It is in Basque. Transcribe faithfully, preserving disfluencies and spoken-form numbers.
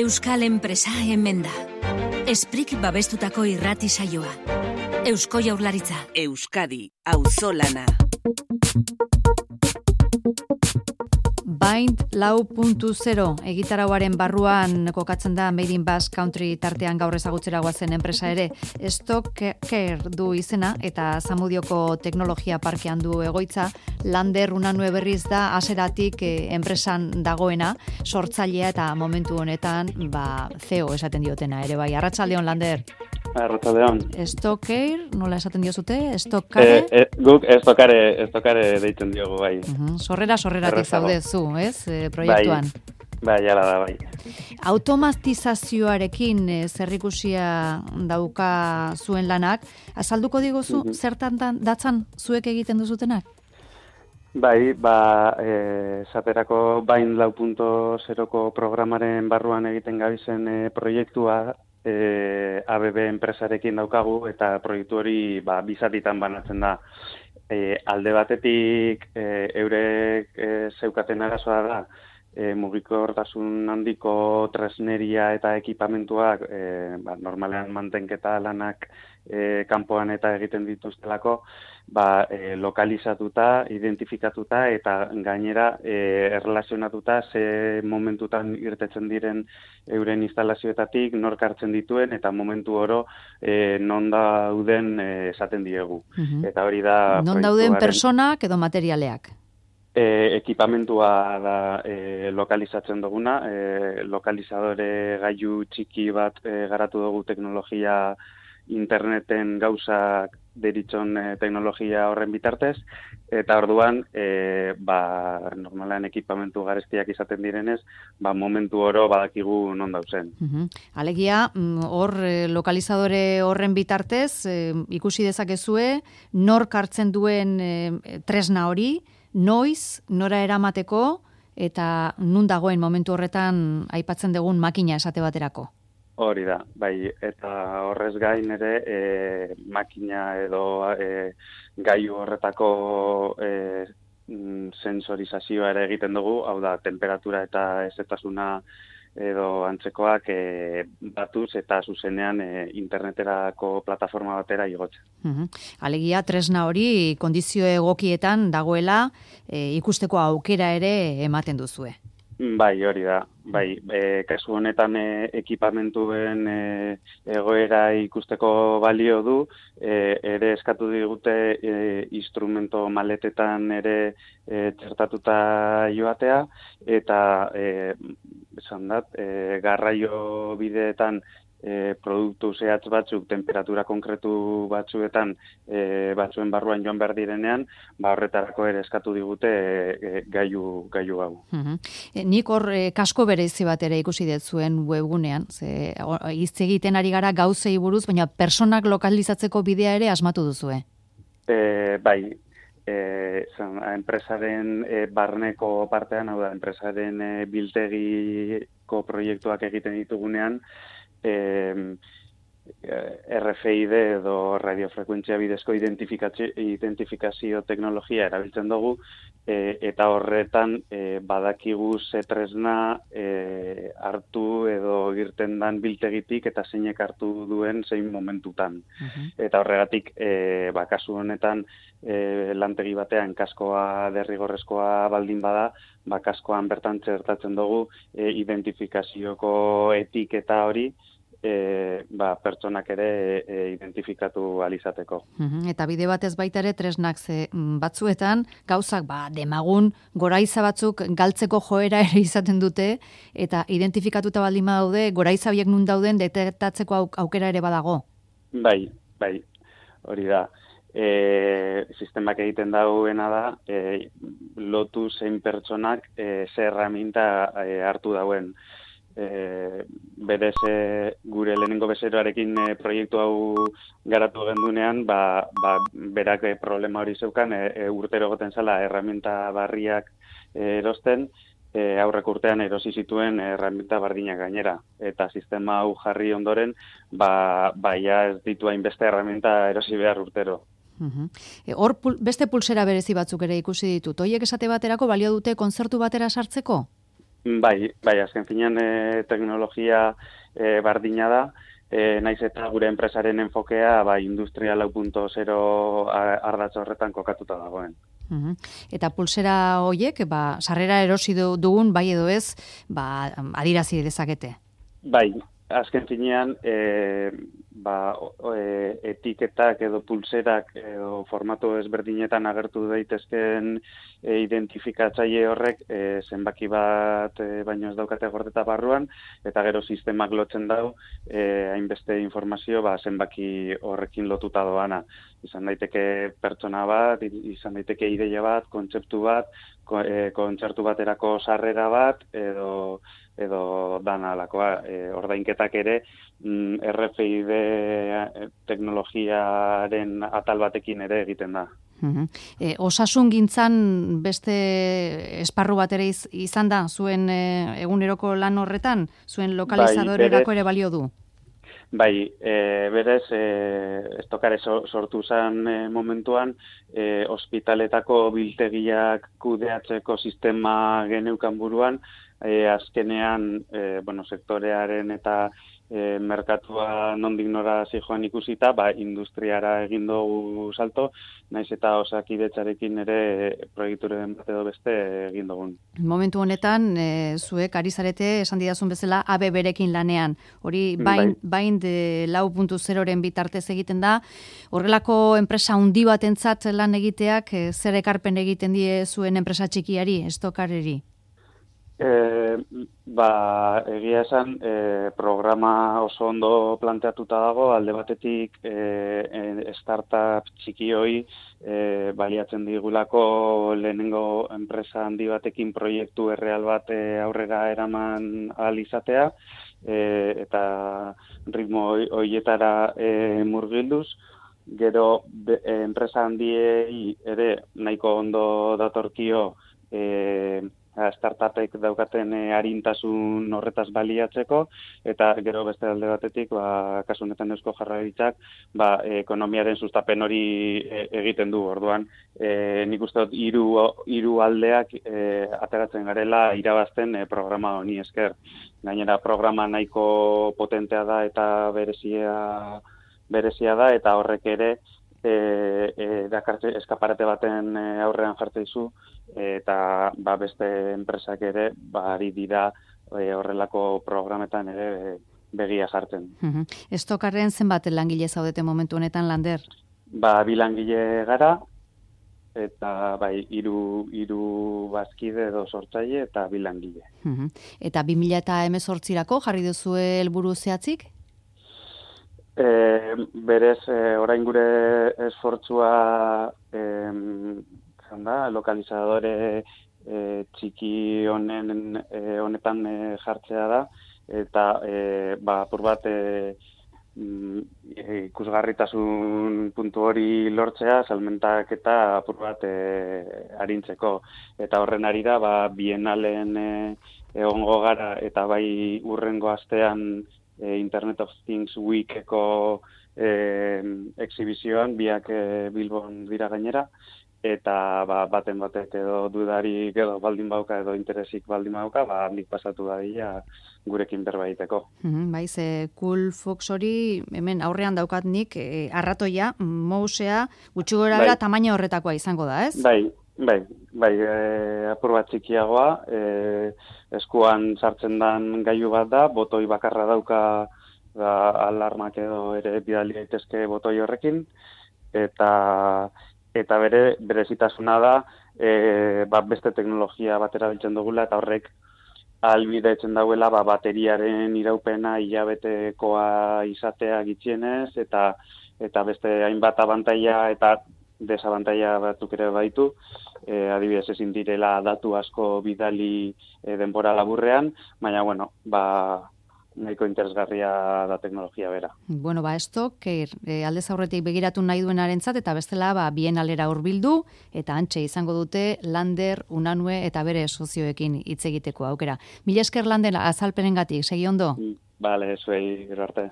Euskal enpresa hemen da. Esprik babestutako irrati saioa. Eusko Jaurlaritza. Euskadi, auzolana. Bind lau puntu zero egitarauaren barruan kokatzen da Made in Basque Country tartean gaur ezagutzera goazen enpresa ere. Stocker du izena eta Zamudioko teknologia parkean du egoitza. Lander Unanue berriz da hasieratik eh, enpresan dagoena, sortzailea eta momentu honetan ba, C E O esaten diotena ere bai. Arratsaldeon Lander. Arratsaldeon. Stocker, nola esaten diozute? Stockare? Eh, eh, guk estokare, estokare deitzen diogu bai. Uh-huh. Sorrera sorreratik Errazago. zaude zu, ez? E, proiektuan. Bai, bai, ala da, bai. Automatizazioarekin e, zerrikusia dauka zuen lanak, azalduko diguzu Mhm. zertan dan- datzan zuek egiten duzutenak? Bai, ba, eh, esaterako Bind lau puntu zeroko programaren barruan egiten gabizen eh, proiektua eh, A B B enpresarekin daukagu eta proiektu hori ba, bizatitan banatzen da. E, alde batetik e, eurek e, zeukaten arazoa da e, mugikortasun handiko tresneria eta ekipamentuak e, ba, normalean mantenketa lanak e, kanpoan eta egiten dituztelako ba, e, lokalizatuta, identifikatuta eta gainera e, erlazionatuta ze momentutan irtetzen diren euren instalazioetatik nork hartzen dituen eta momentu oro e, non dauden e, esaten diegu. Mhm. Eta hori da Non dauden proiektuaren- personak edo materialeak? E, ekipamentua da e, lokalizatzen duguna, e, lokalizadore gailu txiki bat e, garatu dugu teknologia interneten gauzak deritzon e, teknologia horren bitartez, eta orduan, e, ba, normalean ekipamentu garestiak izaten direnez, ba, momentu oro badakigu non dauzen. Mhm. Alegia, mm, hor eh, lokalizadore horren bitartez eh, ikusi dezakezue nork hartzen duen eh, tresna hori, noiz, nora eramateko eta nun dagoen momentu horretan aipatzen dugun makina esate baterako. Hori da, bai, eta horrez gain ere e, makina edo e, gailu horretako e, mm, sensorizazioa ere egiten dugu, hau da, temperatura eta ezetasuna edo antzekoak e, batuz eta zuzenean e, interneterako plataforma batera igotzen. Mhm. Alegia, tresna hori kondizio egokietan dagoela eh, ikusteko aukera ere ematen duzue. Bai, hori da. Bai, e, kasu honetan e, ekipamenturen e, egoera ikusteko balio du, e, ere eskatu digute e, instrumento maletetan ere e, txertatuta joatea, eta e, esan dat, e, garraio bideetan E, produktu zehatz batzuk, temperatura konkretu batzuetan, e, batzuen barruan joan behar direnean, ba horretarako ere eskatu digute e, e, gailu, gailu hau. Mhm. E, nik hor e, kasko berezi bat ere ikusi dut zuen webgunean, ze o- hitz egiten ari gara gauzei buruz, baina personak lokalizatzeko bidea ere asmatu duzue. E, bai, e, zan, enpresaren e, barneko partean, hau da, enpresaren e, biltegiko proiektuak egiten ditugunean, e, R F I D edo radiofrekuentzia bidezko identifikazio, identifikazio teknologia erabiltzen dugu, e, eta horretan e, badakigu ze tresna e, hartu edo irten dan biltegitik eta zeinek hartu duen zein momentutan. Mhm. Eta horregatik, e, ba, kasu honetan, e, lantegi batean kaskoa derrigorrezkoa baldin bada, ba, kaskoan bertan txertatzen dugu e, identifikazioko etiketa hori, e, ba, pertsonak ere e, identifikatu alizateko. Mhm. Eta bide batez baita ere tresnak ze mm, batzuetan gauzak ba demagun goraiza batzuk galtzeko joera ere izaten dute eta identifikatuta baldin badaude goraiza horiek nun dauden detektatzeko auk- aukera ere badago. Bai, bai, hori da. E, sistemak egiten dauena da, e, lotu zein pertsonak e, ze erraminta e, hartu dauen. E, berez e, gure lehenengo bezeroarekin e, proiektu hau garatu gendunean, ba, ba, berak e, problema hori zeukan, e, e, urtero goten zala erraminta barriak e, erosten, e, aurreko urtean erosi zituen erraminta bardinak gainera. Eta sistema hau jarri ondoren, ba, ba ja ez ditu hainbeste erraminta erosi behar urtero. Mhm. E, hor pul- beste pulsera berezi batzuk ere ikusi ditut. Hoiek esate baterako balio dute kontzertu batera sartzeko? Bai, bai, azken finean e, teknologia e, bardina da, e, naiz eta gure enpresaren enfokea ba, industria lau puntu zero ardatz horretan kokatuta dagoen. Uhum. Eta pulsera hoiek, ba, sarrera erosi dugun, bai edo ez, ba, adirazi dezakete? Bai, azken finean, e, ba, e, etiketak edo pulserak edo formato ezberdinetan agertu daitezken e, identifikatzaile horrek e, zenbaki bat e, baino ez daukate gordeta barruan, eta gero sistemak lotzen dau e, hainbeste informazio ba, zenbaki horrekin lotuta doana. Izan daiteke pertsona bat, izan daiteke ideia bat, kontzeptu bat, ko, e, kontzertu baterako sarrera bat, edo edo dan alakoa, e, ordainketak ere mm, R F I D teknologiaren atal batekin ere egiten da. Uhum. E, osasun gintzan beste esparru bat ere iz, izan da, zuen e, eguneroko lan horretan, zuen lokalizadorerako ere balio du? Bai, e, berez, e, estokare sortu zen e, momentuan, e, ospitaletako biltegiak kudeatzeko sistema geneukan buruan, e, azkenean, e, bueno, sektorearen eta e, merkatua nondik nora zijoan ikusita, ba, industriara egin dugu salto, naiz eta Osakidetzarekin ere e, proiekturen bat edo beste egin dugun. Momentu honetan, e, zuek ari zarete, esan didazun bezala, A B berekin lanean. Hori, bain, bain de lau puntu zeroren bitartez egiten da. Horrelako enpresa handi batentzat lan egiteak, e, zer ekarpen egiten die zuen enpresa txikiari, estokareri? E, ba, egia esan, e, programa oso ondo planteatuta dago, alde batetik e, startup txikioi e, baliatzen digulako lehenengo enpresa handi batekin proiektu erreal bat e, aurrera eraman ahal izatea, e, eta ritmo horietara e, murgilduz. Gero be, e, enpresa handiei ere nahiko ondo datorkio e, startupek daukaten e, arintasun horretaz baliatzeko, eta gero beste alde batetik, ba, kasu honetan Eusko Jaurlaritzak, ba, ekonomiaren sustapen hori e, egiten du. Orduan, e, nik uste dut hiru hiru aldeak e, ateratzen garela irabazten e, programa honi esker. Gainera programa nahiko potentea da eta berezia berezia da, eta horrek ere e, e, dakartze eskaparate baten e, aurrean jartzen zu, eta ba, beste enpresak ere ba, ari dira e, horrelako programetan ere e, begia jartzen. Uhum. Estokarren zenbat langile zaudete momentu honetan, Lander? Ba, bi langile gara, eta bai, hiru hiru bazkide edo sortzaile eta bi langile. Uhum. Eta bi mila hemezortzirako jarri duzu helburu zehatzik? E, berez, e, orain gure esfortzua e, da, lokalizadore e, txiki honen e, honetan e, jartzea da, eta e, ba, apur bat e, ikusgarritasun puntu hori lortzea, salmentak eta apur bat e, arintzeko. Eta horren ari da, ba, bienalen e, egongo gara, eta bai urrengo astean e, Internet of Things Weekeko e, exhibizioan, biak e, Bilbon dira gainera, eta ba, baten batek edo dudarik edo baldin bauka edo interesik baldin bauka, ba, handik pasatu dadila gurekin berba egiteko. Mm-hmm, bai, ze Cool Fox hori hemen aurrean daukat nik e, arratoia, mousea, gutxi gora bera bai. Tamaina horretakoa izango da, ez? Bai, bai, bai, e, apur bat txikiagoa, e, eskuan sartzen dan gailu bat da, botoi bakarra dauka da, alarmak edo ere bidali daitezke botoi horrekin, eta eta bere berezitasuna da e, ba, beste teknologia batera biltzen dugula, eta horrek ahalbidetzen dauela ba, bateriaren iraupena hilabetekoa izatea gitxienez, eta eta beste hainbat abantaila eta desabantaila batzuk ere baitu, e, adibidez ezin direla datu asko bidali e, denbora laburrean, baina bueno, ba nahiko interesgarria da teknologia bera. Bueno, ba, esto, keir, e, aldez aurretik begiratu nahi duenarentzat, eta bestela, ba, bienalera hurbildu, eta antxe izango dute Lander, Unanue eta bere sozioekin hitz egiteko aukera. Mila esker, Lander, azalpenengatik, segi ondo? Bale, zuei, gero arte.